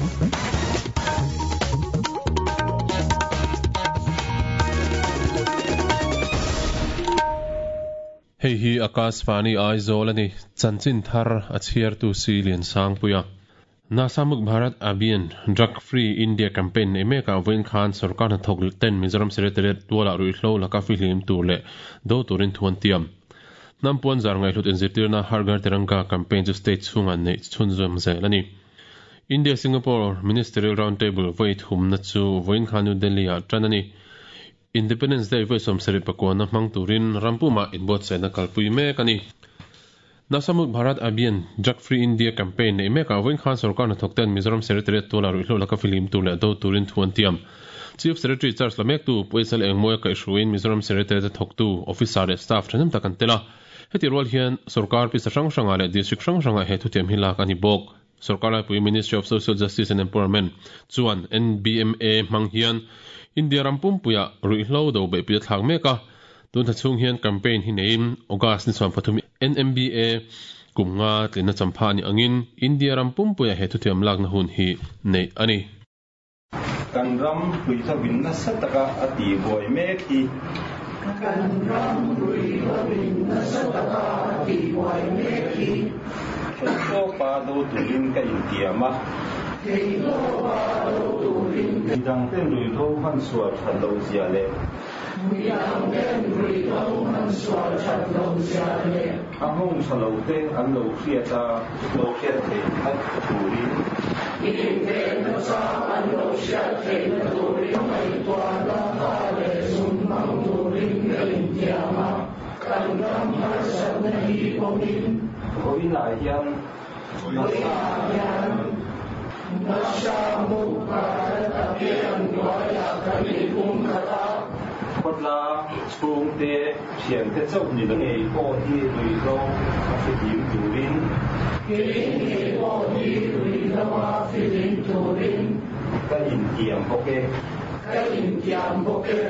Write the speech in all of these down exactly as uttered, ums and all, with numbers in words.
Hei hi Akashvani Aizawl ani chanchin thar a chhiar tu si lian sang puia Nasha Mukt Bharat Abhiyan Drug Free India Campaign nei meka vawiin khan sarkar hnathawk ten Mizoram Secretariat tualah ruihhlo laka fihlim tur leh do turin thu an tiam. Hnam puan zar ngaihhlut inzirtirna Har Ghar Tiranga campaign chu state chhungah neih chhunzawm zel ani. India Singapore Ministerial Round Table vawi thumna chu vawiin khan New Delhi ah tan ani. Independence Day vawi sawmsarih pakuana hmang turin rampumah inbuatsaihna kalpui mek ani. Nasha Mukt Bharat Abhiyan Drug Free India Campaign nei mekah vawiin khan sarkar hnathawk ten Mizoram Secretariat tualah ruihhlo laka fihlim tur leh do turin thu an tiam. Chief Secretary Charles Lamektu Puaisal Engmawia kaihhruaiin Mizoram Secretariat a thawktu officer leh staff thahnem tak an tel a. Heti rual hian sarkar pisa hrang hrangah leh district hrang hrangah he thutiam hi lak a ni bawk. Sarkar laipui Ministry of Social Justice and Empowerment chuan N B M A hmang hian India ram pumpuiah ruihhlo do beihpui a thlak mek a. Tun thla chhung hian campaign hi neiin August ni chhuan pathum N M B A kum nga tlinna champha a ni angin India ram pumpuiah he thutiam lakna hun hi neih a ni. Kan ram ruihhlo nasa taka a ti buai mek hi. Kan ram ruihhlo nasa taka a ti buai mek hi. Theihtawpa do turin ka intiam a. Theihtawpa do turin. Midangten ruihhlo hman sual that lo zia leh. Midangten ruihhlo hman sual that lo zia leh. A nghawng tha lo te an lo hriat a, lo hriat theihna turin. Invenna chang an lo hriat theihna turin ngaihtuahna tha leh zum hmang turin ka intiam a. Kan ram harsatna hi pawhin. Vawiinah hian. Vawiinah hian. Nasha Mukt Bharat Abhiyan hnuaiah kan inpum khat a. Khawtla chhungte thiante chauh ni lo ngei pawh hi ruihhlo a fihlim turin. Kei ngei pawh hi ruihhlo a fihlim turin. Ka intiam bawk e. Ka intiam bawk e.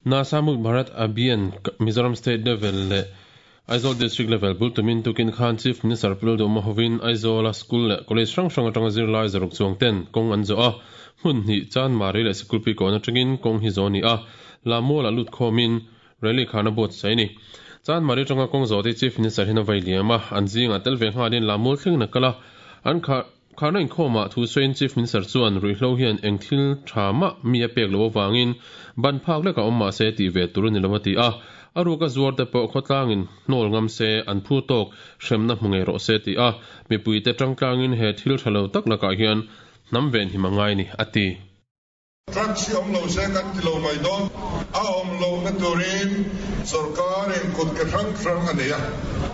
Nasha Mukt Bharat Abhiyan Mizoram State Level leh Aizawl District Level bul tumin tukin khan Chief Minister Pu Lalduhma hovin Aizawla School leh College hrang hrang atanga zirlai zaruk chuang ten kawng an zawh a, hmun hnih Chanmari leh Sikulpi kawn atangin kawng hi zawh a ni a, Lamualah lut khawmin rally khan a buatsaih a ni. Chanmari atanga kawng zawh te Chief Minister hian a vai liam a, an zingah tel ve nghalin Lamual thlengin a kal a, an kha Kharna inkhawmah thu sawiin Chief Minister chuan ruihhlo hian eng thil tha mah mi a pek loh avangin ban phak lek a awm mahse tih ve tur a ni lo a ti a. A ruka zuar te pawh khawtlangin hnawl ngam se an phu tawk hremna hmu ngei rawh se ti a. Mipuite tangtlangin he thil tha lo tak lakah hian hnam ven him a ngai ni a ti. Drugs hi awm lo se kan ti lo mai dawn. A awm lohna turin sorkarin kut ke hrang hrang a nei a,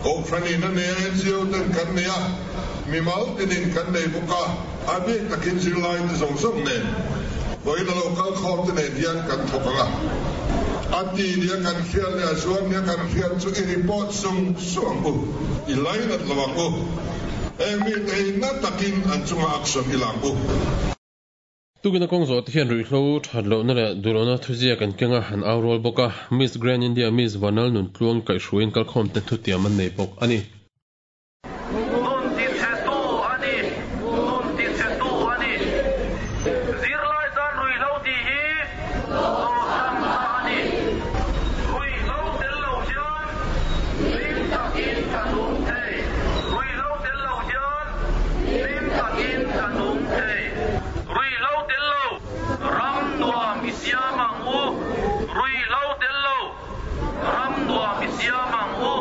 kohhranin a nei a, N G O ten kan nei a, mimal tinin kan nei bawk a, a bik takin zirlaite zawng zawng nen vawiin a lo kal khawm te nen hian kan thawk ang a. A ti nia kan hriat leh a zuar nia kan hriat chu i report sung sung ang u, i lainat lo ang u. Heng mite hi na takin an chunga action i la ang u. Tukina kawng zawh te hian ruihhlo that lohna leh duhlohna thuziak an keng a, an au rual bawk a. Miss Grand India Miss Vanal Nuntluang kaihhruaiin kalkhawm te thutiam an nei bawk a ni. Nun tichhetu a ni, nun tichhetu a ni. Zirlai tan ruihhlo tih hi awlsamna a ni. Ruihhlo tel lo hian hlim takin ka nung thei. Ruihhlo tel lo hian hlim takin ka nung thei. Ruihhlo tel lo ram nuam i siam ang u. Ruihhlo tel lo ram nuam i siam ang u.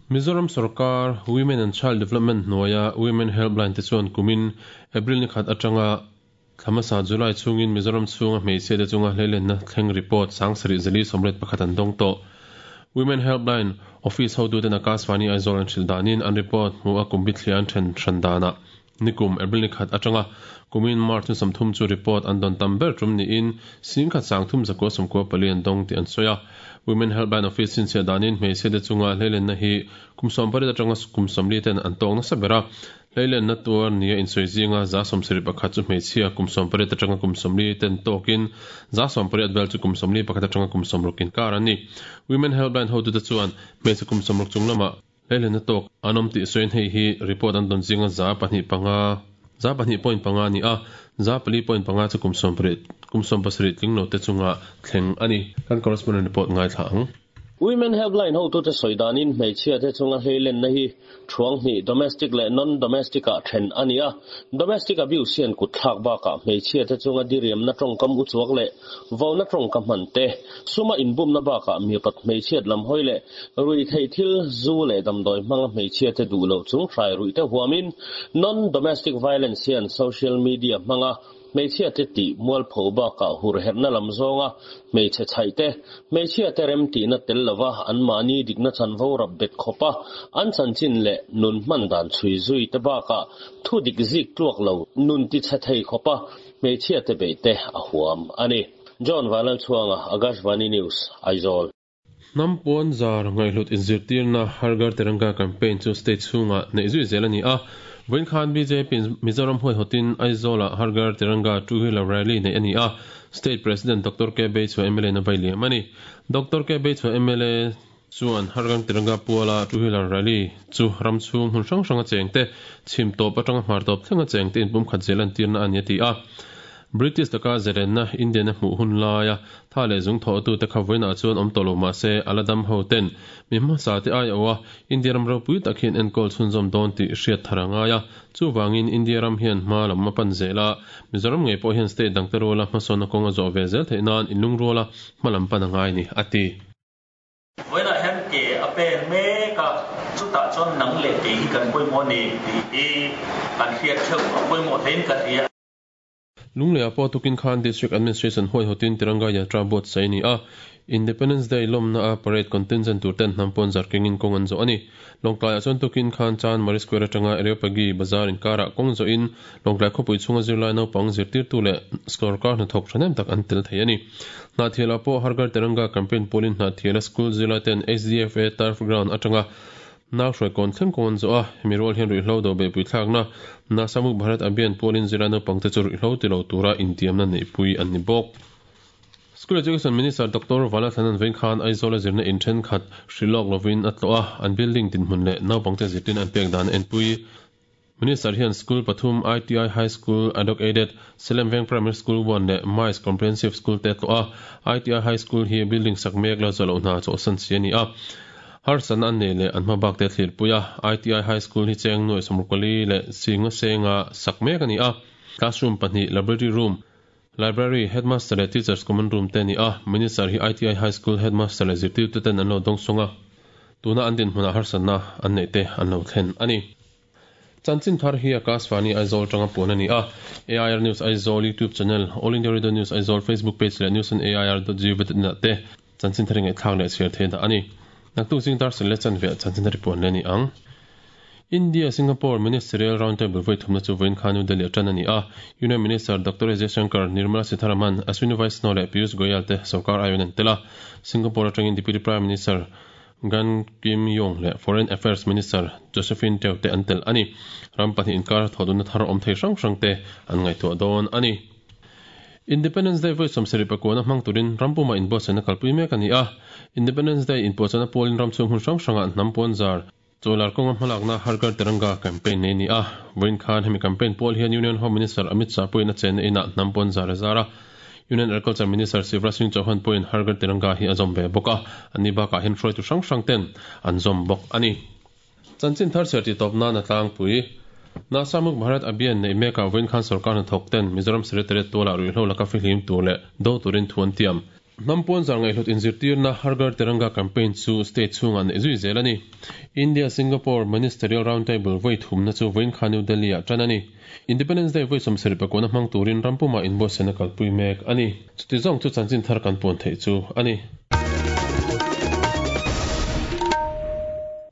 Mizoram sarkar Women and Child Development hnuaia Women Helpline te chuan kumin April ni khat atanga thlamasa July chhungin Mizoram chhunga hmeichhia te chunga hleilenna thleng report sangsarih zali sawmriat pakhat an dawng tawh. Women Helpline Office hotuten Akashvani Aizawl an hrilh danin an report hmu a kum bithliah an then hran danah nikum April ni khat atanga kumin March ni sawmthum chu report an dawn tam ber tum niin singkhat sangthum zakua sawmkua pali an dawng tih an sawi a. Women Helpline Office chhinchhiah danin hmeichhia te chunga hleilenna hi kum sawmpariat atanga kum sawmli ten an tawk nasa ber a. Hleilenna tuar nia insawi zinga za sawmsarih pakhat chu hmeichhia kum sawmpariat atanga kum sawmli ten tawkin za sawmpariat vel chu kum sawmli pakhat atanga kum sawmrukin kar an ni. Women Helpline hotute chuan hmeichhe kum sawmruk chung lamah hleilenna tawk an awm tih sawiin hei hi report an dawn zinga za pahnih panga Za pahnih point panga ni a za pali point panga chu kum som pariat kum som pasarih tling lo te chunga thleng ani kan correspondent report ngai thla ang. Women Helpline ho tu te soidanin hmeichhia te chunga hleilen na hi thuang hni domestic le non domestic a then ania domestic abuse hian kut thlak ba ka hmeichhia te chunga diriam na tongkam u chuak le vo na tongkam man te suma inbum na ba ka mi pat hmeichhiat lam hoi le rui thei thil zu le damdoi hmanga hmeichhia te du lo chung hrai rui te huamin non domestic violence hian social media hmanga hmeichhia te ti mual pho ba ka hur herna lam zonga hmeichhe chhai te hmeichhia te rem ti na tel lova an mani dikna chanvo rap bet khopa an chanchin le nun man dan chui zui te ba ka thu dik zik tluak lo nun ti chhe thei khopa hmeichhia te be te a huam ani. John Vanal Chuanga, Akashvani News, Aizawl. Nampon zar ngaihlut inzirtir na Har Ghar Tiranga campaign chu state chunga nei zui zel ani a. Vawiin khan B J P Mizoram huai hotin Aizawl ah Har Ghar Tiranga two wheeler rally nei ani a. State President Doctor K Beichhua M L A na vai liam ani. Doctor K Beichhua M L A chuan Har Ghar Tiranga puala two wheeler rally chu ram chhung hun hrang hranga cheng te chhim tawp atanga hmar tawp thlenga cheng te inpum khat zel an tirna ani ti a. British taka zerenna Indian a hmuh hun laia tha le zung tho tu te kha voina chuan awm tawh lo mah se aladam ho ten mi hmasa te ai awa India ram ropui tak hian enkawl chhunzawm dawn tih hriat thar angai a chuwangin India ram hian hma lam a pan zela Mizoram ngei pawh hian state dang te ruala hmasawnna kawng a zawh ve zel theih nan inlung ruala hma lam pan angai ni ati. Voina hian ke a pen mek a chutah chuan nang leh ke hi kan pawimawh ni tih hi kan hriat theuh a pawimawh hlein ka hria. Lunglei pawh tukin khan District Administration huai hotin Tiranga Yatra buat sai ni a. Independence Day lawmna a parade contingent tur ten hnampon zar kengin kawng an zawh ani. Lawngtlai ah chuan tukin khan Chan Mari Square atanga Areopagi Bazar inkara kawng zawhin Lawngtlai khawpui chhunga zirlai naupang zirtirtu leh sawrkar hnathawk thahnem tak an tel thei ani. Hnahthial ah pawh Har Ghar Tiranga campaign pawlin Hnahthiala school zirlai ten H D F A turf ground atanga nau hruai kawn thleng kawng an zawh a hemi rual hian ruihhlo do beihpui thlakna Nasha Mukt Bharat Abhiyan pawlin zirlai naupang te chu ruihhlo ti lo tura intiamna neihpui an ni bawk. School Education Minister Doctor Valathlan Vawiin khan Aizawl a zirna in then khat hrilawk lovin a tlawh a an building dinhmun leh naupang te zirtin an pek dan en pui. Minister hian school pathum I T I High School Adok Aided Selem Veng Primary School one leh Mais Comprehensive School te tlawh a I T I High School hi building sak mek la zawh loh hna chawhsan si ani a. Harsan an nei leh an hma bak te thlir pui a I T I High School hi cheng nuai sawmrukali leh singa senga sak mek ani a. Classroom pahnih laboratory room library headmaster leh teachers common room te ni a. Minister hi I T I High School headmaster leh zirtirtu ten an lo dawng sunga tuna an din hmunah harsanna an nei te an lo thlen ani. Chanchin thar hi Akashvani Aizawl tanga puan ani a. A I R News Aizawl YouTube channel, All India Radio News Aizawl Facebook page leh news on A I R dot gov dot in te chanchin thar ngai thlak leh chhiar thei da ani. Naktuk zing dar sel le chan ve chanchin thar puan le ni ang. India Singapore Ministerial Roundtable voi thumna chu voin khan New Delhi atan ani a. Union Minister Doctor S Jaishankar, Nirmala Sitharaman, Ashwini Vaishnaw leh Piyush Goyal te sarkar ayon an tela. Singapore atangin Deputy Prime Minister Gan Kim Yong leh Foreign Affairs Minister Josephine Teo te an tel ani. Ram pahnih inkar thoduna thar awm thei hrang hrang te an ngaihtuah dawn ani. Independence Day voi sawmsarih pakua hmang turin rampuma inbuatsaihna kalpui mek ani a. Independence Day inpuahchana pawlin ram chhung hun hrang hrangah hnampon zar chawlar kawnga hmalakna Har Ghar Tiranga campaign nei ni a. Vawiin khan hemi campaign pawl hian Union Home Minister Amit Shah pawhin a chenna inah hnampon zar a zar a. Union Agriculture Minister Shivraj Singh Chauhan pawhin Har Ghar Tiranga hi a zawm ve bawk a. Ani bakah hian hruaitu hrang hrang ten an zawm bawk ani. Chanchin thar chhiar ti tawp nan a tlangpui. Nasha Mukt Bharat Abhiyan nei mekah vawiin khan sarkar hnathawk ten Mizoram Secretariat tualah ruihhlo laka fihlim tur leh do turin thu an tiam. Hnampon zar ngaihhlut inzirtirna Har Ghar Tiranga campaign chu state chhungah nei zui zel ani. India Singapore Ministerial Roundtable voi thumna chu vawiin khan New Delhi ah tan ani. Independence Day voi sawmsarih pakua hmang turin rampuma inbuatsaihna kalpui mek ani. Chuti zawng chu chanchin thar kan puan theih chu ani.